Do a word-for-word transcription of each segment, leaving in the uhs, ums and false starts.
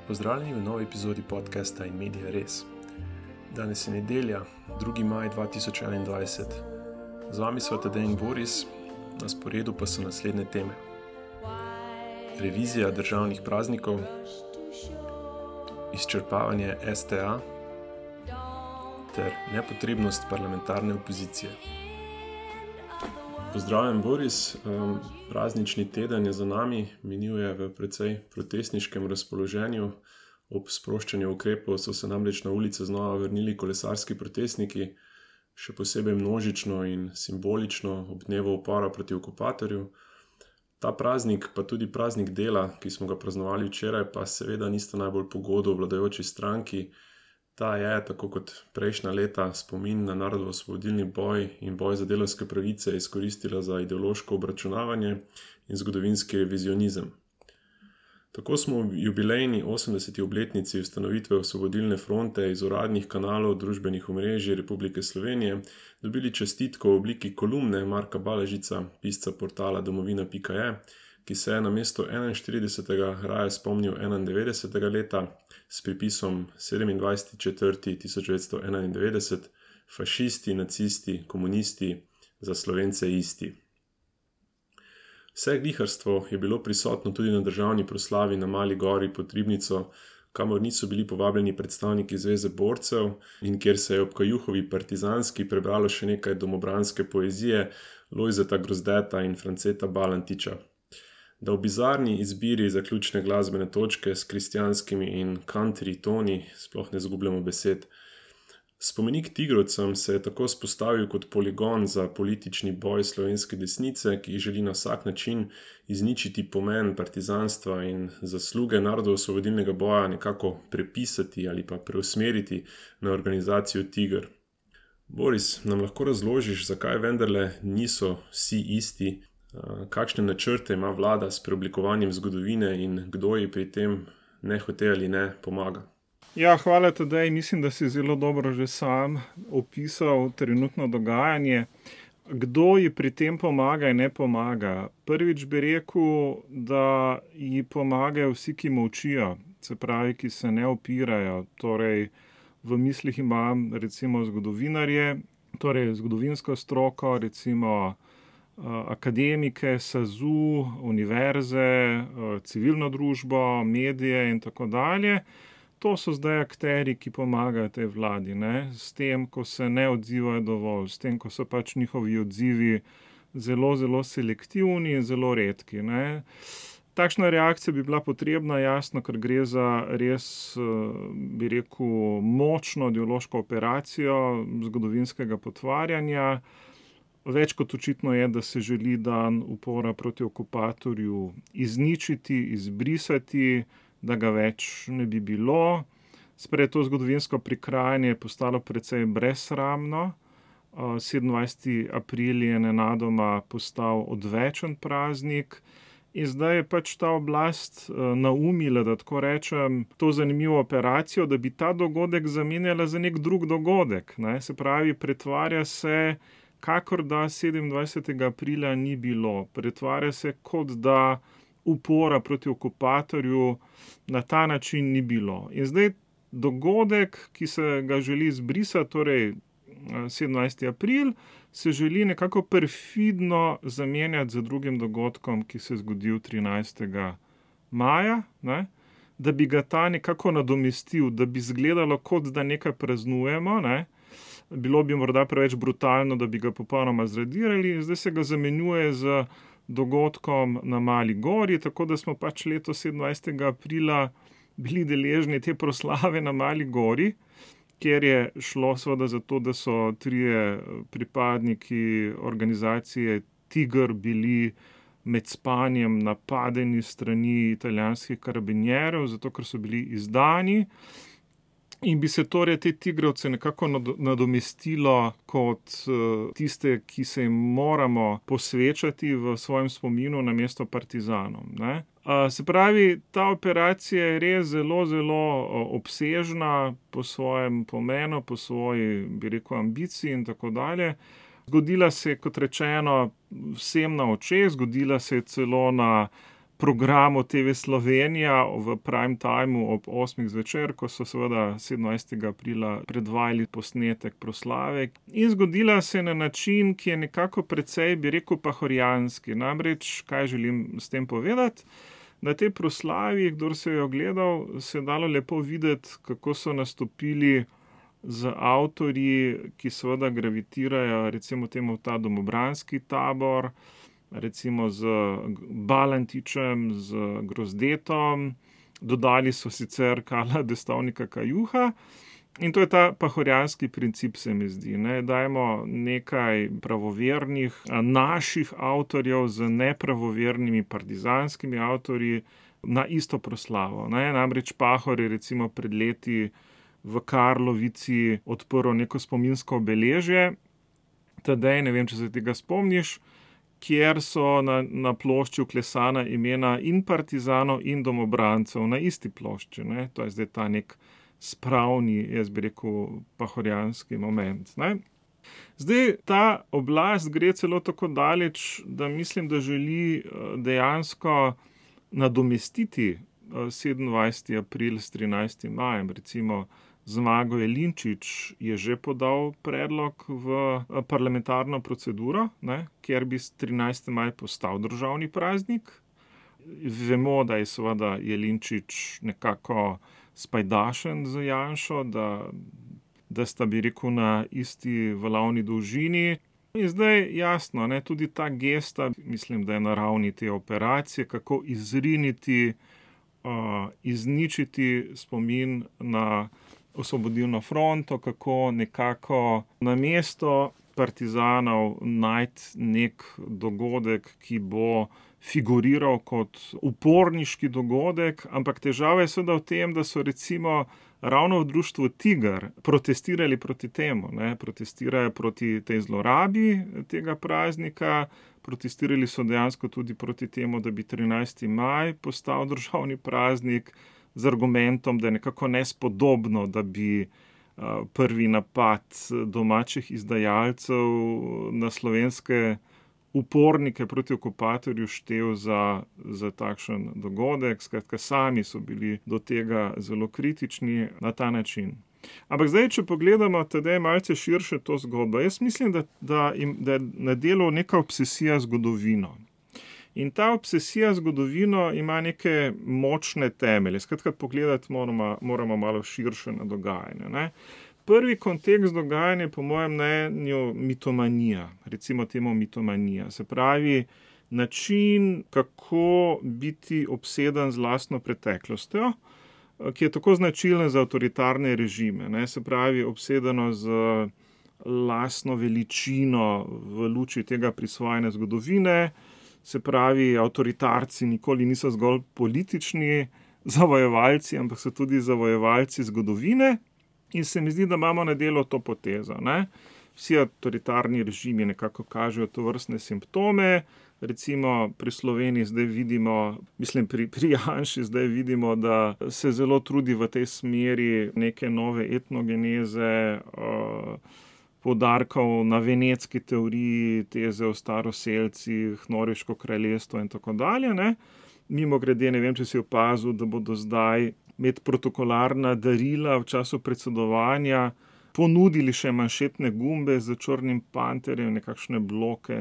Pozdravljeni v novi epizodi podcasta In Media Res. Danes je nedelja, drugi maj dva tisoč enaindvajset. Z vami sva Tadej in Boris, na sporedu pa so naslednje teme. Revizija državnih praznikov, izčrpavanje S T A ter nepotrebnost parlamentarne opozicije. Pozdravljen, Boris. Praznični teden je za nami, minil je v precej protestniškem razpoloženju. Ob sproščanju ukrepov so se namreč na ulice znova vrnili kolesarski protestniki, še posebej množično in simbolično ob dnevu upora proti okupatorju. Ta praznik, pa tudi praznik dela, ki smo ga praznovali včeraj, pa seveda nista najbolj pogodo vladajoči stranki. Ta je, tako kot prejšnja leta, spomin na narodnoosvobodilni boj in boj za delavske pravice izkoristila za ideološko obračunavanje in zgodovinski revizionizem. Tako smo v jubilejni osemdeseti obletnici ustanovitve Osvobodilne fronte iz uradnih kanalov družbenih omrežij Republike Slovenije dobili čestitko v obliki kolumne Marka Balažica, pisca portala domovina pika je, ki se je namesto enainštiridesetega raje spomnil enaindevetdesetega leta s pripisom sedemindvajseti četrti tisoč devetsto enaindevetdeset, fašisti, nacisti, komunisti, za Slovence isti. Vse gliharstvo je bilo prisotno tudi na državni proslavi na Mali gori pod Ribnico, kamor niso bili povabljeni predstavniki Zveze borcev in kjer se je ob Kajuhovi partizanski prebralo še nekaj domobranske poezije Lojzeta Grozdeta in Franceta Balantiča. Da v bizarni izbiri zaključne glasbene točke s kristjanskimi in country toni sploh ne zgubljamo besed. Spomenik tigrovcem se je tako spostavil kot poligon za politični boj slovenske desnice, ki želi na vsak način izničiti pomen partizanstva in zasluge narodnoosvobodilnega boja nekako prepisati ali pa preusmeriti na organizacijo Tiger. Boris, nam lahko razložiš, zakaj vendarle niso vsi isti? Kakšne načrte ima vlada s preoblikovanjem zgodovine in kdo ji pri tem ne hote ali ne pomaga? Ja, hvala Tadej. Mislim, da si zelo dobro že sam opisal trenutno dogajanje. Kdo ji pri tem pomaga in ne pomaga? Prvič bi rekel, da ji pomagajo vsi, ki molčijo, se pravi, ki se ne opirajo. Torej, v mislih imam recimo zgodovinarje, torej zgodovinsko stroko, recimo akademike, S A Z U, univerze, civilno družbo, medije in tako dalje. To so zdaj akteri, ki pomagajo tej vladi, ne? S tem, ko se ne odzivajo dovolj, s tem, ko so pač njihovi odzivi zelo, zelo selektivni in zelo redki, ne? Takšna reakcija bi bila potrebna, jasno, ker gre za res, bi rekel, močno ideološko operacijo zgodovinskega potvarjanja. Več kot očitno je, da se želi dan upora proti okupatorju izničiti, izbrisati, da ga več ne bi bilo. Sprej to zgodovinsko prikrajanje je postalo precej brezsramno. sedemindvajseti april je nenadoma postal odvečen praznik in zdaj je pač ta oblast naumila, da tako rečem, to zanimivo operacijo, da bi ta dogodek zamenjala za nek drug dogodek, ne? Se pravi, pretvarja se, kakor da sedemindvajsetega aprila ni bilo. Pretvarja se, kot da upora proti okupatorju na ta način ni bilo. In zdaj dogodek, ki se ga želi izbrisati, torej sedemindvajseti april, se želi nekako perfidno zamenjati z drugim dogodkom, ki se je zgodil trinajstega maja, ne? Da bi ga ta nekako nadomestil, da bi izgledalo, kot da nekaj praznujemo, ne? Bilo bi morda preveč brutalno, da bi ga popolnoma zradirali, in zdaj se ga zamenjuje z dogodkom na Mali gori, tako da smo pač letos sedemindvajsetega aprila bili deležni te proslave na Mali gori, kjer je šlo seveda za to, da so trije pripadniki organizacije Tiger bili med spanjem napadeni strani italijanskih karabinjerov, zato ker so bili izdani. In bi se torej te tigrovce nekako nadomestilo kot tiste, ki se jim moramo posvečati v svojem spominu namesto partizanom, ne? Se pravi, ta operacija je res zelo, zelo obsežna po svojem pomenu, po svoji, bi rekel, ambiciji in tako dalje. Zgodila se je, kot rečeno, vsem na očeh, zgodila se je celo na programu T V Slovenija v prime timeu ob osmih zvečer, ko so seveda sedemnajstega aprila predvajali posnetek proslave. In zgodila se na način, ki je nekako precej, bi rekel, pahorjanski. Namreč, kaj želim s tem povedati? Na tej proslavi, kdor se je ogledal, se je dalo lepo videti, kako so nastopili z avtorji, ki seveda gravitirajo recimo temu v ta domobranski tabor, recimo z Balantičem, z Grozdetom, dodali so sicer Karla Destovnika Kajuha in to je ta pahorjanski princip, se mi zdi. Ne? Dajmo nekaj pravovernih naših avtorjev z nepravovernimi partizanskimi avtorji na isto proslavo. Ne? Namreč Pahor je recimo pred leti v Karlovici odprl neko spominsko obeležje, Tadej, ne vem, če se tega spomniš, kjer so na, na plošči vklesana imena in partizanov in domobrancev na isti plošči. Ne? To je zdaj ta nek spravni, jaz bi rekel, pahorjanski moment. Ne? Zdaj, ta oblast gre celo tako daleč, da mislim, da želi dejansko nadomestiti sedemindvajseti april s trinajstim majem. Recimo Zmago Jelinčič je že podal predlog v parlamentarno proceduro, ne, kjer bi trinajsti maj postal državni praznik. Vemo, da je seveda Jelinčič nekako spajdašen z Janšo, da, da sta, bi rekel, na isti valovni dolžini. In zdaj jasno, ne, tudi ta gesta, mislim, da je na ravni te operacije, kako izriniti, uh, izničiti spomin na Osvobodilno fronto, kako nekako na mesto partizanov najti nek dogodek, ki bo figuriral kot uporniški dogodek, ampak težava je seveda v tem, da so recimo ravno v društvu Tiger protestirali proti temu, ne? Protestirajo proti tej zlorabi tega praznika, protestirali so dejansko tudi proti temu, da bi trinajsti maj postal državni praznik, z argumentom, da je nekako nespodobno, da bi prvi napad domačih izdajalcev na slovenske upornike proti okupatorju štel za, za takšen dogodek. Skratka, sami so bili do tega zelo kritični na ta način. Ampak zdaj, če pogledamo tedaj malce širše to zgodbo, jaz mislim, da, da, im, da je na delu neka obsesija zgodovino. In ta obsesija zgodovino ima neke močne temelje. Skratka, pogledati moramo, moramo malo širše na dogajanje. Ne? Prvi kontekst dogajanja je po mojem mnenju mitomanija, recimo temu mitomanija. Se pravi, način, kako biti obseden z lastno preteklostjo, ki je tako značilen za avtoritarne režime. Ne? Se pravi, obsedeno z lastno veličino v luči tega prisvajanja zgodovine. Se pravi, avtoritarci nikoli niso zgolj politični zavojevalci, ampak so tudi zavojevalci zgodovine. In se mi zdi, da imamo na delu to potezo. Ne? Vsi avtoritarni režimi nekako kažejo tovrstne simptome. Recimo pri Sloveniji zdaj vidimo, mislim pri, pri Janši zdaj vidimo, da se zelo trudi v tej smeri neke nove etnogeneze, uh, poudarkov na venetski teoriji, teze o staroselcih, Norveško kraljestvo in tako dalje. Ne? Mimo grede, ne vem, če si opazil, da bodo zdaj med protokolarna darila v času predsedovanja ponudili še manšetne gumbe za črnim panterjem, nekakšne bloke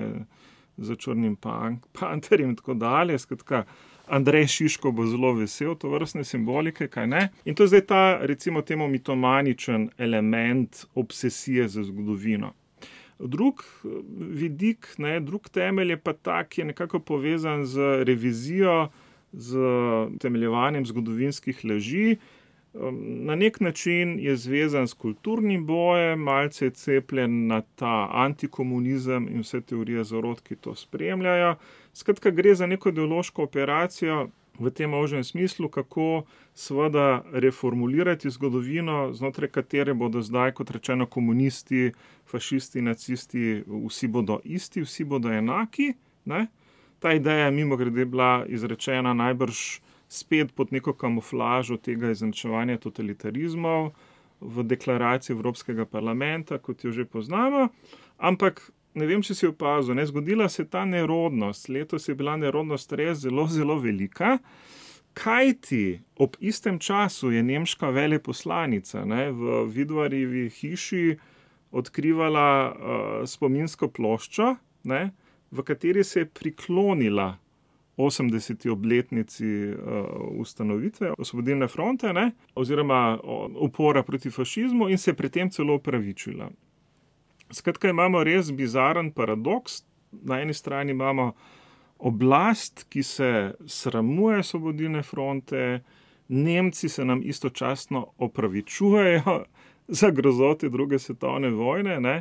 za črnim pan- panterjem in tako dalje. Skratka, Andrej Šiško bo zelo vesel to vrstne simbolike, kaj ne? In to je zdaj ta, recimo temu, mitomaničen element obsesije za zgodovino. Drug vidik, ne, drug temelj je pa ta, ki je nekako povezan z revizijo, z temeljevanjem zgodovinskih laži. Na nek način je zvezan s kulturnim bojem, malce je cepljen na ta antikomunizem in vse teorije zarot, ki to spremljajo. Skratka, gre za neko ideološko operacijo v tem ožjem smislu, kako seveda reformulirati zgodovino, znotraj katere bodo zdaj, kot rečeno, komunisti, fašisti, nacisti, vsi bodo isti, vsi bodo enaki. Ne? Ta ideja je mimogrede bila izrečena najbrž spet pod neko kamuflažo tega izenačevanja totalitarizmov v deklaraciji Evropskega parlamenta, kot jo že poznamo, ampak ne vem, če si opazil, ne, zgodila se ta nerodnost, letos je bila nerodnost res zelo, zelo velika, kajti ob istem času je nemška veleposlanica, ne, v Vidvarjevi hiši odkrivala uh, spominsko ploščo, ne, v kateri se je priklonila osemdeseti obletnici uh, ustanovitve Osvobodilne fronte, ne, oziroma upora proti fašizmu in se je pri tem celo opravičila. Skratka, imamo res bizaren paradoks. Na eni strani imamo oblast, ki se sramuje Osvobodilne fronte, Nemci se nam istočasno opravičujejo za grozote druge svetovne vojne, ne.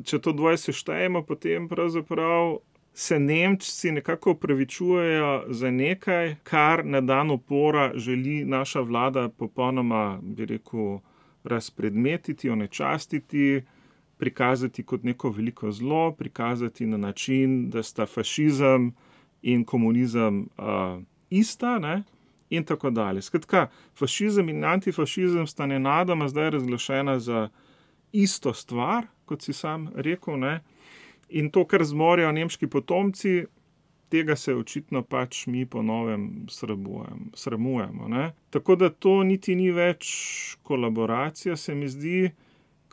Če to dvoje seštejemo, potem pravzaprav se Nemci nekako opravičujejo za nekaj, kar na dan upora želi naša vlada popolnoma, bi rekel, razpredmetiti, onečastiti, prikazati kot neko veliko zlo, prikazati na način, da sta fašizem in komunizem uh, ista, ne, in tako dalje. Skratka, fašizem in antifašizem sta nenadoma zdaj razglašena za isto stvar, kot si sam rekel, ne, in to, kar zmorejo nemški potomci, tega se očitno pač mi po novem sramujemo, ne. Tako da to niti ni več kolaboracija, se mi zdi,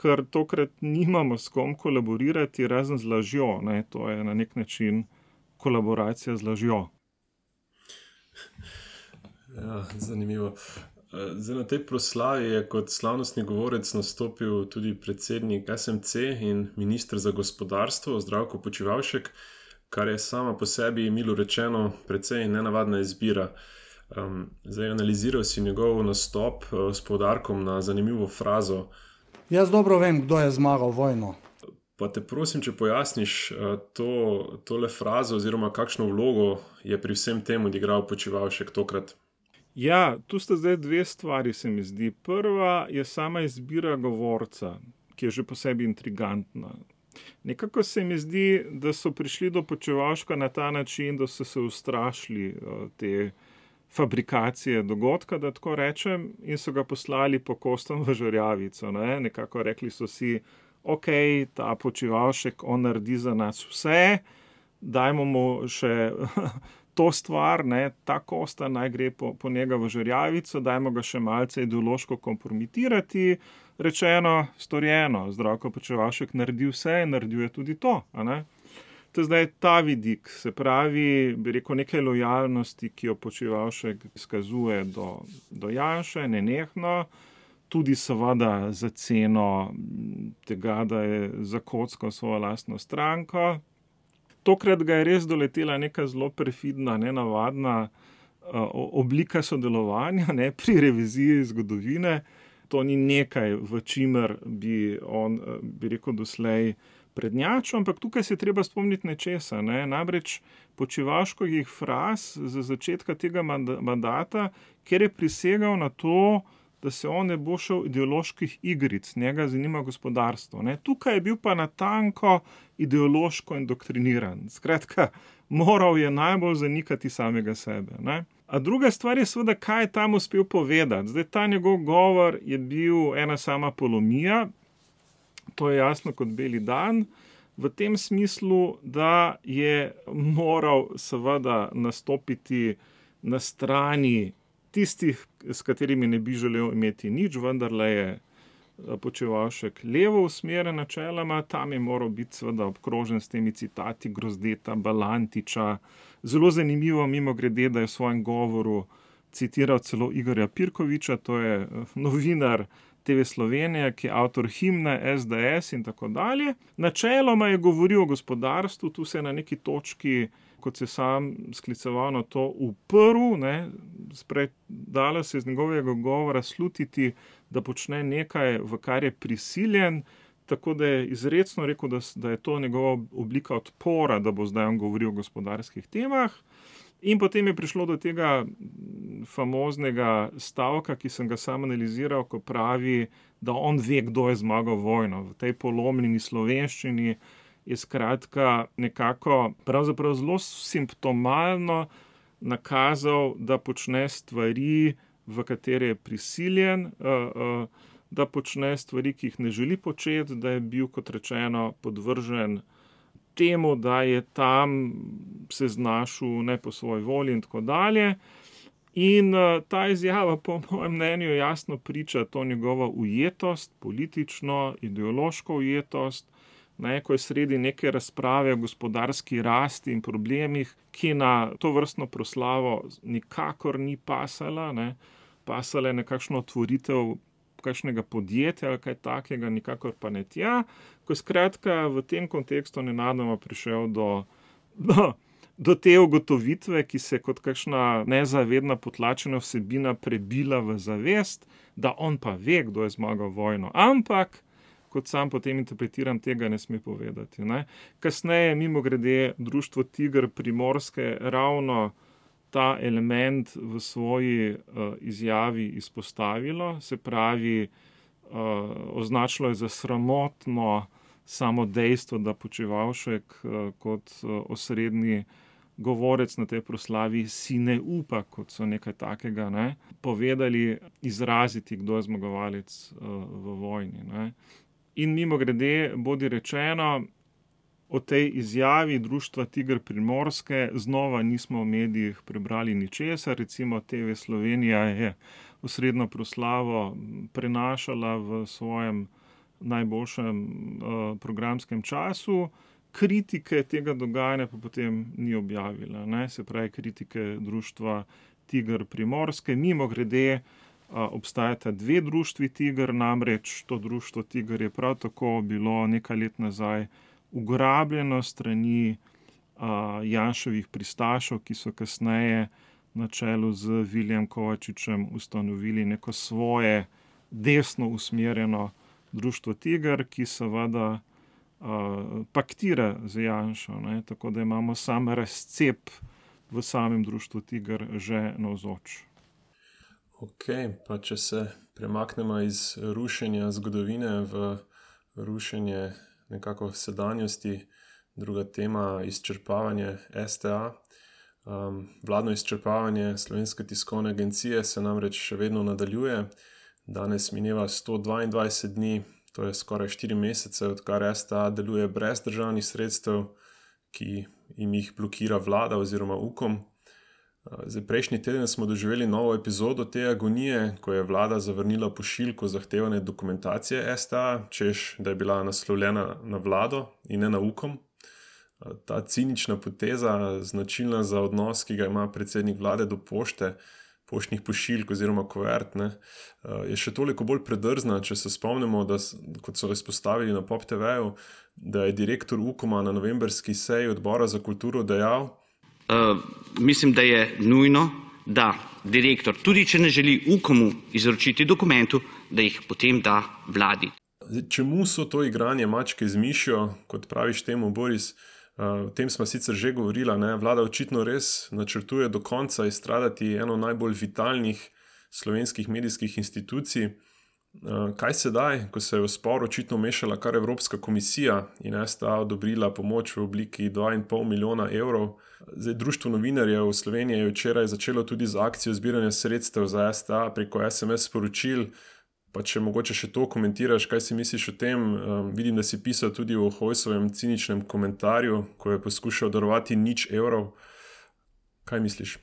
ker tokrat nimamo s kom kolaborirati razen z lažjo, ne, to je na nek način kolaboracija z lažjo. Ja, zanimivo. Zdaj, na tej proslavi je kot slavnostni govorec nastopil tudi predsednik S M C in minister za gospodarstvo Zdravko Počivalšek, kar je sama po sebi, milo rečeno, precej nenavadna izbira. Zdaj, analiziral si njegov nastop s poudarkom na zanimivo frazo. Jaz dobro vem, kdo je zmagal vojno. Pa te prosim, če pojasniš to, tole frazo oziroma kakšno vlogo je pri vsem tem odigral Počivalšek tokrat. Ja, tu sta zdaj dve stvari, se mi zdi. Prva je sama izbira govorca, ki je že po sebi intrigantna. Nekako se mi zdi, da so prišli do Počivalška na ta način, da so se ustrašili te fabrikacije dogodka, da tako rečem, in so ga poslali po kostom v Žerjavico. Ne? Nekako rekli so si, ok, ta Počivalšek, on naredi za nas vse, dajmo mu še to stvar, ne, ta kosta naj gre po, po njega v Žerjavico, dajmo ga še malce ideološko kompromitirati, rečeno, storjeno, Zdravko Počivalšek naredi vse in naredil je tudi to, a ne. To je zdaj ta vidik, se pravi, bi rekel, nekaj lojalnosti, ki jo Počivalšek izkazuje do, do Janše, nenehno, tudi seveda za ceno tega, da je zakockal svojo lastno stranko. Tokrat ga je res doletela neka zelo perfidna, nenavadna uh, oblika sodelovanja, ne, pri reviziji zgodovine. To ni nekaj, v čimer bi on, bi rekel, doslej prednjačil, ampak tukaj se treba spomniti nečesa, ne. Namreč Počivalškovih fraz za začetka tega mandata, ker je prisegal na to, da se on ne bo šel ideoloških igric, njega zanima gospodarstvo. Ne. Tukaj je bil pa natanko ideološko indoktriniran. Skratka, moral je najbolj zanikati samega sebe. Ne. A druga stvar je seveda, kaj je tam uspel povedati. Zdaj, ta njegov govor je bil ena sama polomija, to je jasno kot beli dan, v tem smislu, da je moral seveda nastopiti na strani tistih, s katerimi ne bi želel imeti nič, vendarle je Počivalšek levo usmerjen načeloma, tam je moral biti seveda obkrožen s temi citati Grozdeta, Balantiča. Zelo zanimivo, mimogrede, da je v svojem govoru citiral celo Igorja Pirkoviča, to je novinar T V Slovenija, ki je avtor himne S D S in tako dalje. Načeloma je govoril o gospodarstvu, tu se je na neki točki, kot se sam skliceval na to, uprl, ne, dalo se iz njegovega govora slutiti, da počne nekaj, v kar je prisiljen, tako da je izrecno rekel, da, da je to njegova oblika odpora, da bo zdaj on govoril o gospodarskih temah. In potem je prišlo do tega famoznega stavka, ki sem ga sam analiziral, ko pravi, da on ve, kdo je zmagal vojno. V tej polomljeni slovenščini je skratka nekako pravzaprav zelo simptomalno nakazal, da počne stvari, v katere je prisiljen, da počne stvari, ki jih ne želi početi, da je bil, kot rečeno, podvržen temu, da je tam se znašel ne po svoji volji in tako dalje. In uh, ta izjava, po mojem mnenju, jasno priča to njegovo ujetost, politično, ideološko ujetost, ne, ko je sredi neke razprave o gospodarski rasti in problemih, ki na to vrstno proslavo nikakor ni pasala, ne, pasala je nekakšno otvoritev kakšnega podjetja ali kaj takega, nikakor pa ne tja, ko je skratka v tem kontekstu nenadoma prišel do, do, do te ugotovitve, ki se kot kakšna nezavedna potlačena vsebina prebila v zavest, da on pa ve, kdo je zmagal vojno, ampak kot sam potem interpretiram, tega ne sme povedati. Ne. Kasneje, mimogrede, društvo Tiger Primorske ravno ta element v svoji uh, izjavi izpostavilo, se pravi, uh, označilo je za sramotno samo dejstvo, da Počivalšek uh, kot uh, osrednji govorec na tej proslavi si ne upa, kot so nekaj takega, ne, povedali, izraziti, kdo je zmagovalec uh, v vojni. Ne. In mimogrede, bodi rečeno, o tej izjavi društva Tiger Primorske znova nismo v medijih prebrali ničesar. Recimo T V Slovenija je osrednjo proslavo prenašala v svojem najboljšem uh, programskem času, kritike tega dogajanja pa potem ni objavila. Ne? Se pravi, kritike društva Tiger Primorske. Mimogrede, uh, obstajata dve društvi Tiger, namreč to društvo Tiger je prav tako bilo nekaj let nazaj ugrabljeno strani uh, Janševih pristašov, ki so kasneje na čelu z Viljem Kovačičem ustanovili neko svoje desno usmerjeno društvo Tiger, ki seveda uh, paktira z Janšo, ne? Tako da imamo sam razcep v samem društvu Tiger že navzoč. Ok, pa če se premaknemo iz rušenja zgodovine v rušenje nekako sedanjosti, druga tema, izčrpavanje S T A. Um, vladno izčrpavanje Slovenske tiskovne agencije se namreč še vedno nadaljuje. Danes mineva sto dvaindvajset dni, to je skoraj štiri mesece, odkar S T A deluje brez državnih sredstev, ki jim jih blokira vlada oziroma Ukom. Zdaj, prejšnji teden smo doživeli novo epizodo te agonije, ko je vlada zavrnila pošiljko zahtevane dokumentacije S T A, češ, da je bila naslovljena na vlado in ne na Ukom. Ta cinična poteza, značilna za odnos, ki ga ima predsednik vlade do pošte, poštnih pošiljk oziroma kuvert, ne, je še toliko bolj predrzna, če se spomnimo, da, kot so izpostavili na Pop T V-ju, da je direktor Ukoma na novemberski seji odbora za kulturo dejal, Uh, mislim, da je nujno, da direktor, tudi če ne želi Ukomu izročiti dokumentu, da jih potem da vladi. Zdaj, čemu so to igranje mačke z mišjo, kot praviš temu, Boris? Uh, o tem smo sicer že govorila, ne? Vlada očitno res načrtuje do konca izstradati eno najbolj vitalnih slovenskih medijskih institucij. Uh, kaj sedaj, ko se je v spor očitno mešala kar Evropska komisija in S T A odobrila pomoč v obliki dva in pol milijona evrov? Zdaj, Društvo novinarjev v Sloveniji je včeraj začelo tudi z akcijo zbiranja sredstev za S T A preko S M S sporočil, pa če mogoče še to komentiraš, kaj si misliš o tem? Um, vidim, da si pisal tudi o Hojsovem ciničnem komentarju, ko je poskušal darovati nič evrov. Kaj misliš?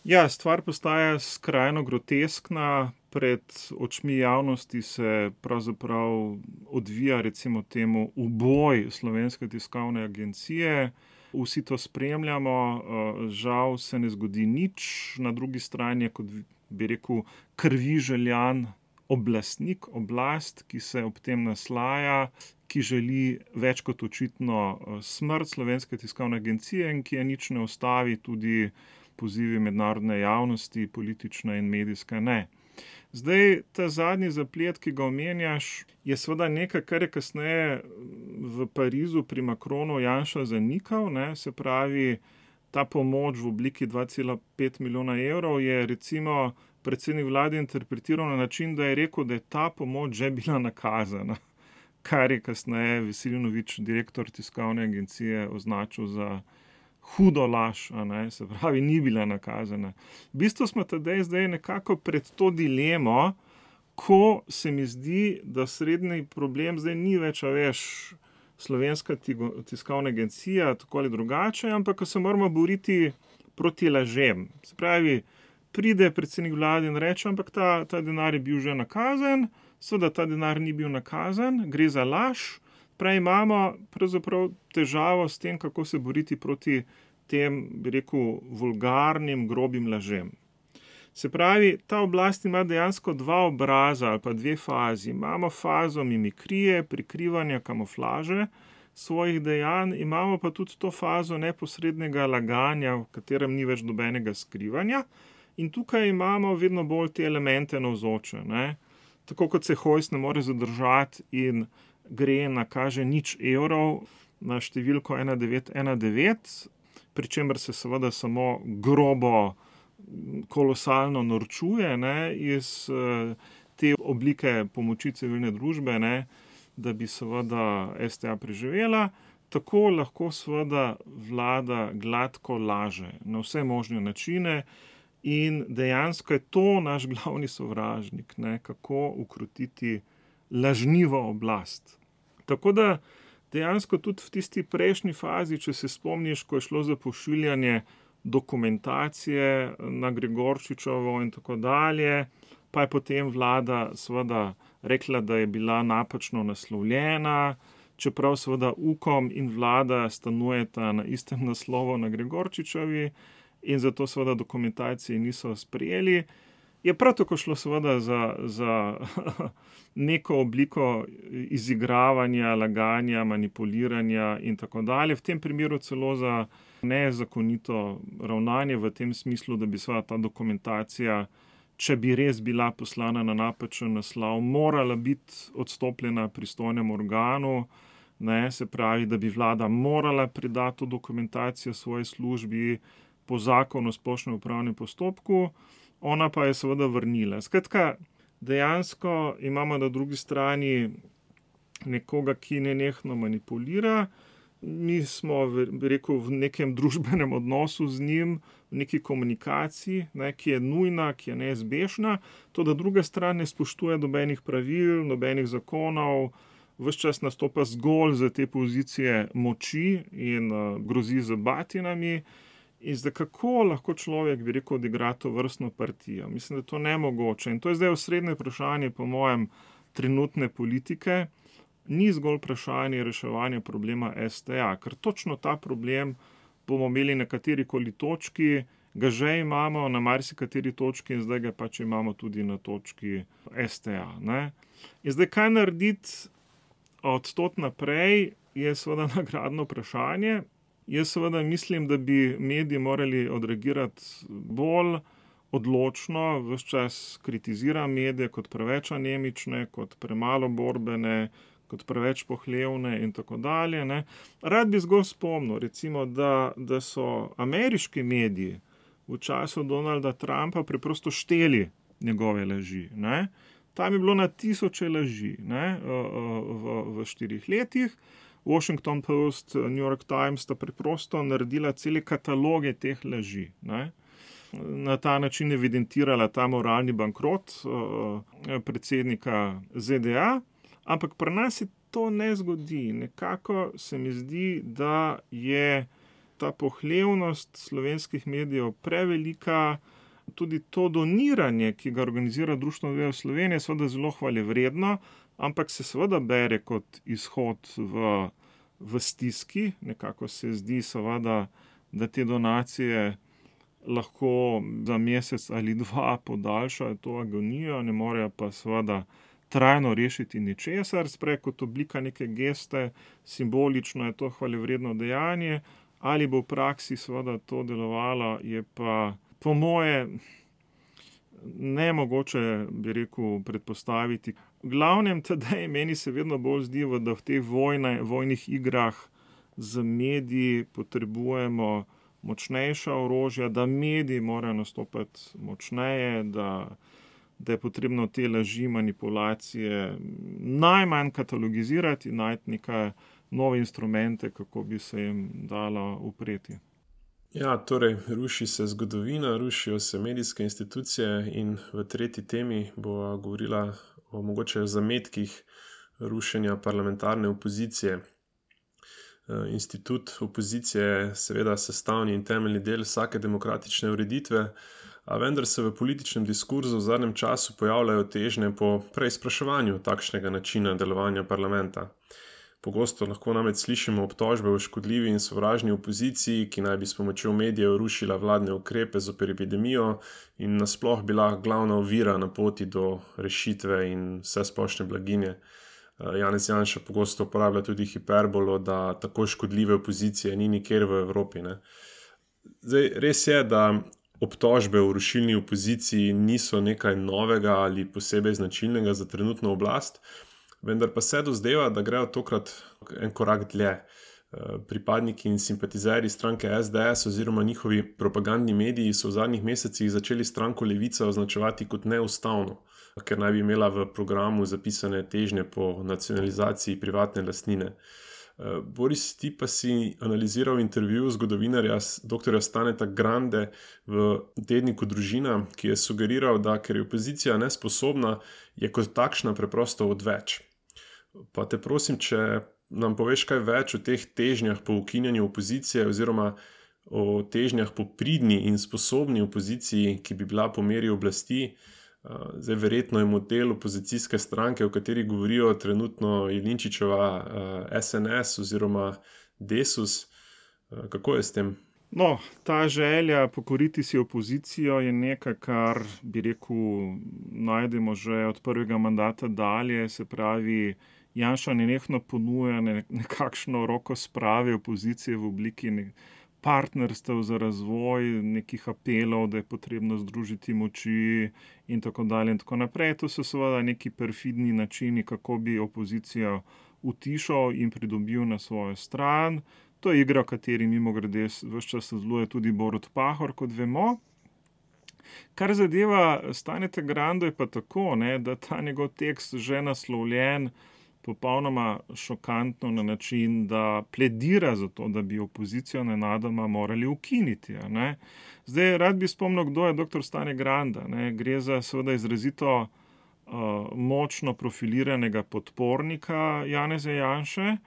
Ja, stvar postaja skrajno groteskna. Pred očmi javnosti se pravzaprav odvija recimo temu uboj Slovenske tiskovne agencije. Vsi to spremljamo, žal se ne zgodi nič. Na drugi strani je, kot bi rekel, krvi željan oblastnik, oblast, ki se ob tem naslaja, ki želi več kot očitno smrt Slovenske tiskovne agencije in ki je nič ne ustavi, tudi pozivi mednarodne javnosti, politične in medijske ne. Zdaj, ta zadnji zaplet, ki ga omenjaš, je seveda nekaj, kar je kasneje v Parizu pri Macronu Janša zanikal, ne, se pravi, ta pomoč v obliki dva cela pet milijona evrov je recimo predsednik vlade interpretiral na način, da je rekel, da je ta pomoč že bila nakazana, kar je kasneje Veselinovič, direktor tiskovne agencije, označil za hudo laž, a ne, se pravi, ni bila nakazana. V bistvu smo tedaj zdaj nekako pred to dilemo, ko se mi zdi, da srednji problem zdaj ni več, a veš, Slovenska tiskovna agencija, tako ali drugače, ampak ko se moramo boriti proti lažem. Se pravi, pride predsednik vlade in reče, ampak ta, ta denar je bil že nakazan, seveda ta denar ni bil nakazan, gre za laž, pravi imamo pravzaprav težavo s tem, kako se boriti proti tem, bi rekel, vulgarnim, grobim lažem. Se pravi, ta oblast ima dejansko dva obraza ali pa dve fazi. Imamo fazo mimikrije, prikrivanja, kamuflaže svojih dejanj, imamo pa tudi to fazo neposrednega laganja, v katerem ni več dobenega skrivanja. In tukaj imamo vedno bolj te elemente navzoče. Ne? Tako kot se Hojs ne more zadržati in gre na kaže nič evrov na številko ena devet ena devet, pri čemer se seveda samo grobo, kolosalno norčuje, ne, iz uh, te oblike pomoči civilne družbe, ne, da bi seveda S T A preživela, tako lahko seveda vlada gladko laže na vse možne načine in dejansko je to naš glavni sovražnik, ne, kako ukrotiti lažnivo oblast. Tako da dejansko tudi v tisti prejšnji fazi, če se spomniš, ko je šlo za pošiljanje dokumentacije na Gregorčičevo in tako dalje, pa je potem vlada seveda rekla, da je bila napačno naslovljena, čeprav seveda Ukom in vlada stanujeta na istem naslovu na Gregorčičevi in zato seveda dokumentacije niso sprejeli. Je prav tako šlo seveda za, za neko obliko izigravanja, laganja, manipuliranja in tako dalje. V tem primeru celo za nezakonito ravnanje v tem smislu, da bi seveda ta dokumentacija, če bi res bila poslana na napačen naslov, morala biti odstopljena pristojnemu organu, ne, se pravi, da bi vlada morala predati to dokumentacijo svoji službi po zakonu o splošnem upravnem postopku, ona pa je seveda vrnila. Skratka, dejansko imamo na drugi strani nekoga, ki nenehno manipulira. Mi smo, bi rekel, v nekem družbenem odnosu z njim, v neki komunikaciji, ne, ki je nujna, ki je neizbežna, to, da druga stran ne spoštuje nobenih pravil, nobenih zakonov, ves čas nastopa zgolj za te pozicije moči in uh, grozi z batinami. In zdaj, kako lahko človek, bi rekel, odigra to vrstno partijo? Mislim, da je to nemogoče. In to je zdaj osrednje vprašanje, po mojem, trenutne politike. Ni zgolj vprašanje reševanja problema S T A, ker točno ta problem bomo imeli na katerikoli točki, ga že imamo na marsikateri točki in zdaj ga pač imamo tudi na točki S T A. Ne? In zdaj, kaj narediti od tod naprej, je seveda nagradno vprašanje. Jaz seveda mislim, da bi mediji morali odreagirati bolj odločno, ves čas kritizira medije kot preveč anemične, kot premalo borbene, kot preveč pohlevne in tako dalje. Ne. Rad bi zgolj spomnil, recimo, da, da so ameriški mediji v času Donalda Trumpa preprosto šteli njegove laži. Ne. Tam je bilo na tisoče laži, ne, v, v štirih letih. Washington Post, New York Times sta preprosto naredila cele kataloge teh laži. Ne. Na ta način evidentirala ta moralni bankrot uh, predsednika Z D A, ampak pri nas se to ne zgodi. Nekako se mi zdi, da je ta pohlevnost slovenskih medijev prevelika, tudi to doniranje, ki ga organizira Društvo novinarjev Slovenije, seveda zelo hvalevredno, ampak se seveda bere kot izhod v, v stiski. Nekako se zdi seveda, da te donacije lahko za mesec ali dva podaljšajo to agonijo, ne morejo pa seveda trajno rešiti ničesar, sprej kot oblika neke geste, simbolično je to hvalevredno dejanje, ali bo v praksi seveda to delovalo, je pa po moje nemogoče, bi rekel, predpostaviti. V glavnem tedaj meni se vedno bolj zdi, da v teh vojne, vojnih igrah z mediji potrebujemo močnejša orožja, da mediji morajo nastopati močneje, da, da je potrebno te laži, manipulacije najmanj katalogizirati in najti neke nove instrumente, kako bi se jim dalo upreti. Ja, torej, ruši se zgodovina, rušijo se medijske institucije in v tretji temi bo govorila o mogoče zametkih rušenja parlamentarne opozicije. Institut opozicije je seveda sestavni in temeljni del vsake demokratične ureditve, a vendar se v političnem diskurzu v zadnjem času pojavljajo težnje po preizpraševanju takšnega načina delovanja parlamenta. Pogosto lahko namreč slišimo obtožbe o škodljivi in sovražni opoziciji, ki naj bi s pomočjo medijev rušila vladne ukrepe zoper epidemijo in nasploh bila glavna ovira na poti do rešitve in vsesplošne blaginje. Janez Janša pogosto uporablja tudi hiperbolo, da tako škodljive opozicije ni nikjer v Evropi. Ne. Zdaj, res je, da obtožbe o rušilni opoziciji niso nekaj novega ali posebej značilnega za trenutno oblast, vendar pa se dozdeva, da grejo tokrat en korak dlje. Pripadniki in simpatizerji stranke S D S oziroma njihovi propagandni mediji so v zadnjih mesecih začeli stranko Levica označevati kot neustavno, ker naj bi imela v programu zapisane težnje po nacionalizaciji privatne lastnine. Boris, ti pa si analiziral intervju zgodovinarja doktorja Staneta Grande v tedniku Družina, ki je sugeriral, da ker je opozicija nesposobna, je kot takšna preprosto odveč. Pa te prosim, če nam poveš kaj več o teh težnjah po ukinjanju opozicije oziroma o težnjah po pridni in sposobni opoziciji, ki bi bila po meri oblasti. Zdaj, verjetno je model opozicijske stranke, o kateri govorijo trenutno Jelinčičeva S N S oziroma Desus. Kako je s tem? No, ta želja pokoriti si opozicijo je nekaj, kar bi rekel, najdemo že od prvega mandata dalje, se pravi, Janša nenehno ponuja nekakšno roko sprave opozicije v obliki partnerstev za razvoj, nekih apelov, da je potrebno združiti moči in tako dalje in tako naprej. To so seveda neki perfidni načini, kako bi opozicijo utišal in pridobil na svojo stran. To je igra, v kateri mimogrede ves čas sodeluje tudi Borut Pahor, kot vemo. Kar zadeva Staneta Grando je pa tako, ne, da ta njegov tekst že naslovljen popolnoma šokantno na način, da pledira za to, da bi opozicijo nenadoma morali ukiniti. Ne. Zdaj, rad bi spomnil, kdo je doktor Stane Granda. Ne. Gre za seveda izrazito uh, močno profiliranega podpornika Janeza Janše,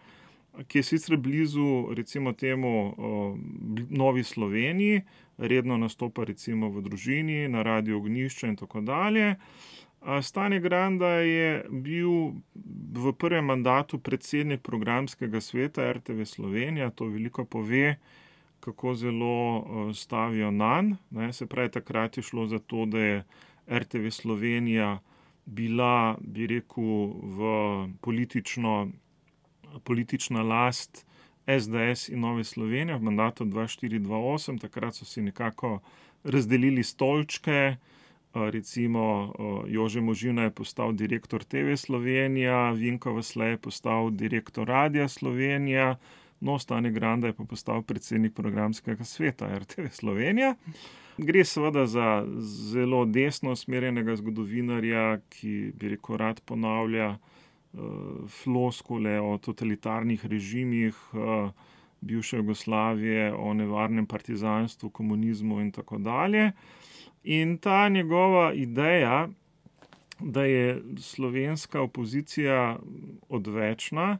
ki je sicer blizu recimo temu uh, Novi Sloveniji, redno nastopa recimo v Družini, na Radiu Ognjišče in tako dalje. Stane Granda je bil v prvem mandatu predsednik programskega sveta R T V Slovenija, to veliko pove, kako zelo stavijo nanj. Se pravi, takrat je šlo za to, da je R T V Slovenija bila, bi rekel, v politično, politična last S D S in Nove Slovenije v mandatu dva štiri dva osem, takrat so si nekako razdelili stolčke. Recimo Jože Možina je postal direktor T V Slovenija, Vinko Vasle je postal direktor Radia Slovenija, no, Stane Granda je pa postal predsednik programskega sveta R T V Slovenija. Gre seveda za zelo desno usmerjenega zgodovinarja, ki bi rekel rad ponavlja uh, floskule o totalitarnih režimih uh, bivše Jugoslavije, o nevarnem partizanstvu, komunizmu in tako dalje. In ta njegova ideja, da je slovenska opozicija odvečna,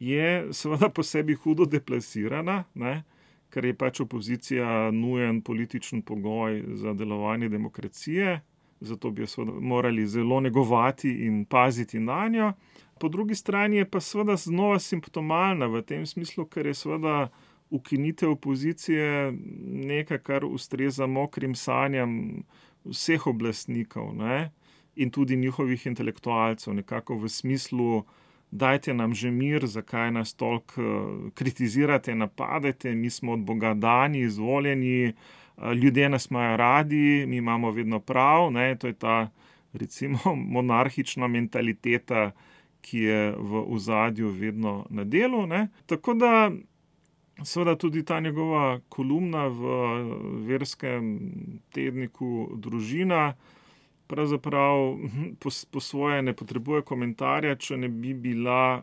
je seveda po sebi hudo deplasirana, ne? Ker je pač opozicija nujen političen pogoj za delovanje demokracije, zato bi jo seveda morali zelo negovati in paziti na njo. Po drugi strani je pa seveda znova simptomalna v tem smislu, ker je seveda ukinitev opozicije nekaj, kar ustreza mokrim sanjam vseh oblastnikov, ne? In tudi njihovih intelektualcev, nekako v smislu, dajte nam že mir, zakaj nas toliko kritizirate, napadete, mi smo od Boga dani, izvoljeni, ljudje nas imajo radi, mi imamo vedno prav, ne? To je ta, recimo, monarhična mentaliteta, ki je v ozadju vedno na delu, ne? Tako da seveda tudi ta njegova kolumna v verskem tedniku Družina pravzaprav po, po svoje ne potrebuje komentarja, če ne bi bila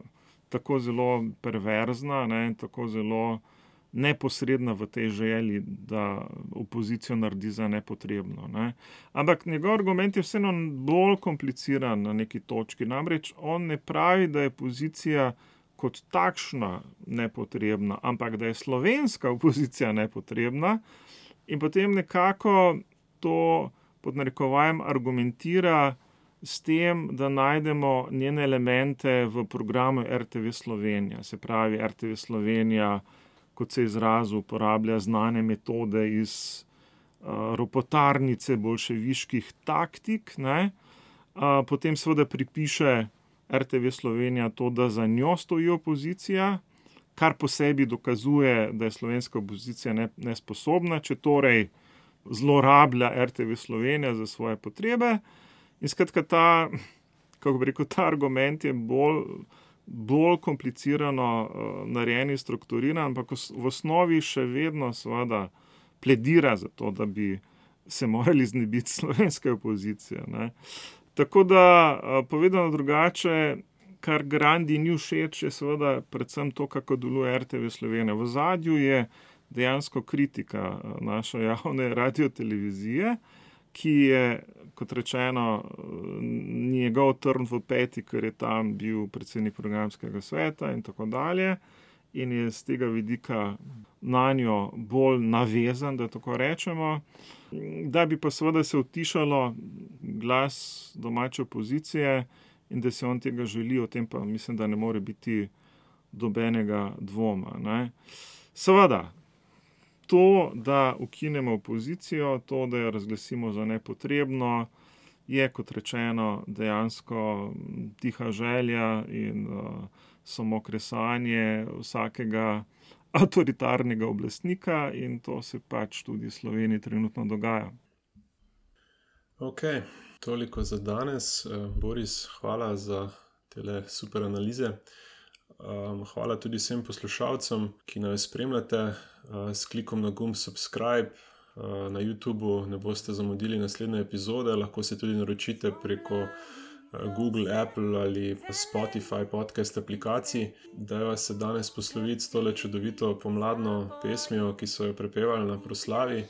tako zelo perverzna, ne, tako zelo neposredna v tej želji, da opozicijo naredi za nepotrebno. Ne. Ampak njegov argument je vseeno bolj kompliciran na neki točki. Namreč on ne pravi, da je opozicija kot takšna nepotrebna, ampak da je slovenska opozicija nepotrebna in potem nekako to pod narekovajem argumentira s tem, da najdemo njene elemente v programu R T V Slovenija. Se pravi, R T V Slovenija, kot se izrazu, uporablja znane metode iz uh, ropotarnice bolševiških taktik, ne? Uh, potem seveda pripiše R T V Slovenija to, da za njo stoji opozicija, kar po sebi dokazuje, da je slovenska opozicija ne, nesposobna, če torej zlorablja R T V Slovenija za svoje potrebe. In skratka ta, kako bi rekel, ta argument je bolj, bolj komplicirano uh, narejen in strukturiran, ampak v osnovi še vedno seveda pledira za to, da bi se morali znebiti slovenske opozicije, ne. Tako da, povedano drugače, kar Grandi ni všeč, je seveda predvsem to, kako deluje R T V Slovenija. V zadju je dejansko kritika naše javne radiotelevizije, ki je, kot rečeno, njegov trn v peti, ker je tam bil predsednik programskega sveta in tako dalje, in je z tega vidika nanjo bolj navezan, da tako rečemo. Da bi pa seveda se utišalo glas domače opozicije in da se on tega želi, o tem pa mislim, da ne more biti dobenega dvoma, ne. Seveda, to, da ukinemo opozicijo, to, da jo razglasimo za nepotrebno, je, kot rečeno, dejansko tiha želja in uh, samo kresanje vsakega avtoritarnega oblastnika in to se pač tudi v Sloveniji trenutno dogaja. Ok, toliko za danes. Boris, hvala za tele super analize. Hvala tudi vsem poslušalcem, ki nas spremljate. S klikom na gumb subscribe na YouTubeu ne boste zamudili naslednje epizode, lahko se tudi naročite preko Google, Apple ali Spotify podcast aplikacij. Dajva se danes posloviti s tole čudovito pomladno pesmijo, ki so jo prepevali na proslavi,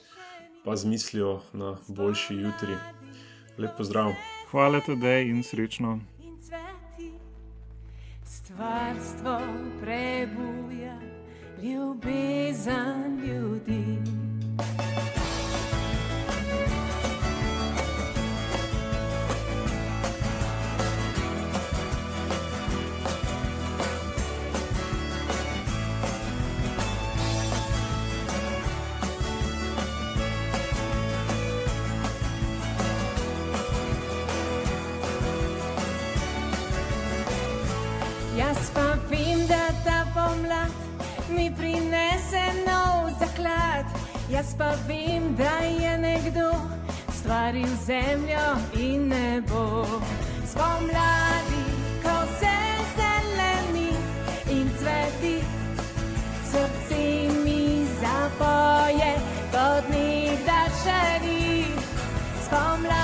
pa z mislijo na boljši jutri. Lep pozdrav. Hvala Tadej in srečno. Stvarstvo prebuja ljubezen ljudi. Jaz pa vem, da ta pomlad mi prinese nov zaklad. Jaz pa vem, da je nekdo stvaril zemljo in nebo. Spomladi, ko se zeleni in cveti, srce mi zapoje, kot nekdaj še ni. Spomladi.